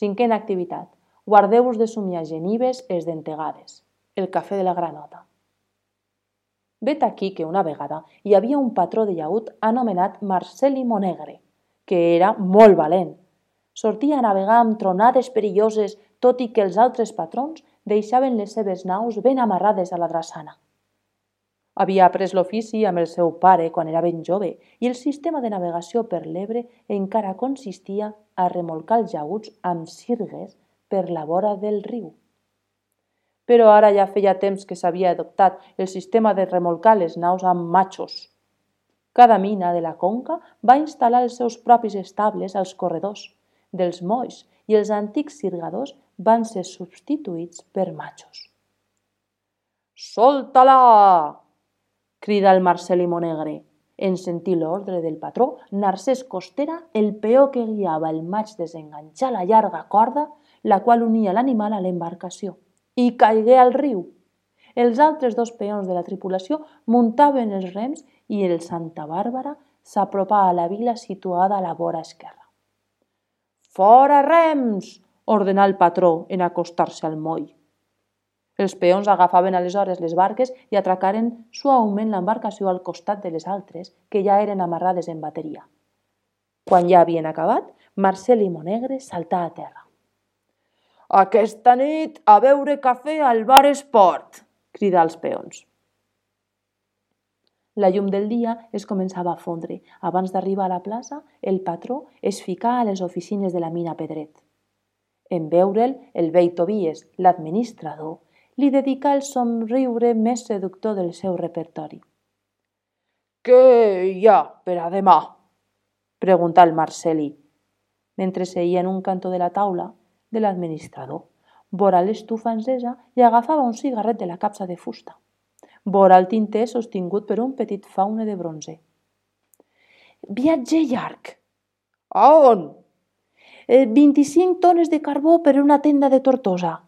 Cinquena activitat. Guardeu-vos de somiar genives esdentegades. El cafè de la granota. Vet aquí que una vegada hi havia un patró de llaüt anomenat Marcel·li Monegre, que era molt valent. Sortia a navegar amb tronades perilloses, tot i que els altres patrons deixaven les seves naus ben amarrades a la drassana. Havia après l'ofici amb el seu pare quan era ben jove i el sistema de navegació per l'Ebre encara consistia a remolcar els llaüts amb sirgues per la vora del riu. Però ara ja feia temps que s'havia adoptat el sistema de remolcar les naus amb matxos. Cada mina de la conca va instal·lar els seus propis estables als corredors dels molls i els antics sirgadors van ser substituïts per matxos. «Solta-la!», crida el Marcel·li Monegre. En sentir l'ordre del patró, Narcés Costera, el peó que guiava el maig, desenganxà la llarga corda, la qual unia l'animal a l'embarcació, i caigué al riu. Els altres dos peons de la tripulació muntaven els rems i el Santa Bàrbara s'apropà a la vila situada a la vora esquerra. «Fora rems!», ordenà el patró en acostar-se al moll. Els peons agafaven aleshores les barques i atracaren suaument l'embarcació al costat de les altres, que ja eren amarrades en bateria. Quan ja havien acabat, Marcel·li Monegre saltà a terra. «Aquesta nit a beure cafè al bar Esport!», cridà als peons. La llum del dia es començava a fondre. Abans d'arribar a la plaça, el patró es ficà a les oficines de la mina Pedret. En veure'l, el vell Tobies, l'administrador, li dedicà el somriure més seductor del seu repertori. «Què hi ha per a demà?», preguntà el Marcel·li, mentre seia en un cantó de la taula de l'administrador. Vora l'estufa encesa i agafava un cigarret de la capsa de fusta. Vora el tinter sostingut per un petit faune de bronze. «Viatge llarg». «A on?». 25 tones de carbó per una tenda de Tortosa».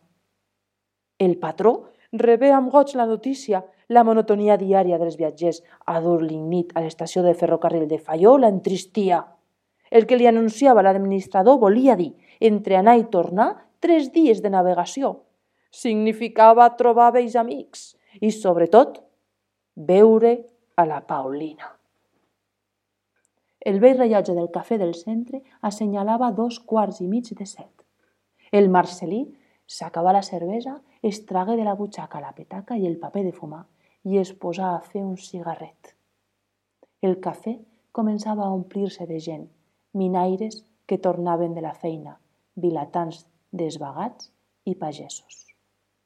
El patró rebé amb goig la notícia. La monotonia diària dels viatgers a dur lignit a l'estació de ferrocarril de Faió l'entristia. El que li anunciava l'administrador volia dir, entre anar i tornar, 3 dies de navegació. Significava trobar vells amics i, sobretot, veure a la Paulina. El vell rellotge del cafè del centre assenyalava 2:15 El Marcel·lí s'acabà la cervesa, es tragué de la butxaca la petaca i el paper de fumar i es posà a fer un cigarret. El cafè començava a omplir-se de gent, minaires que tornaven de la feina, vilatans desvagats i pagesos.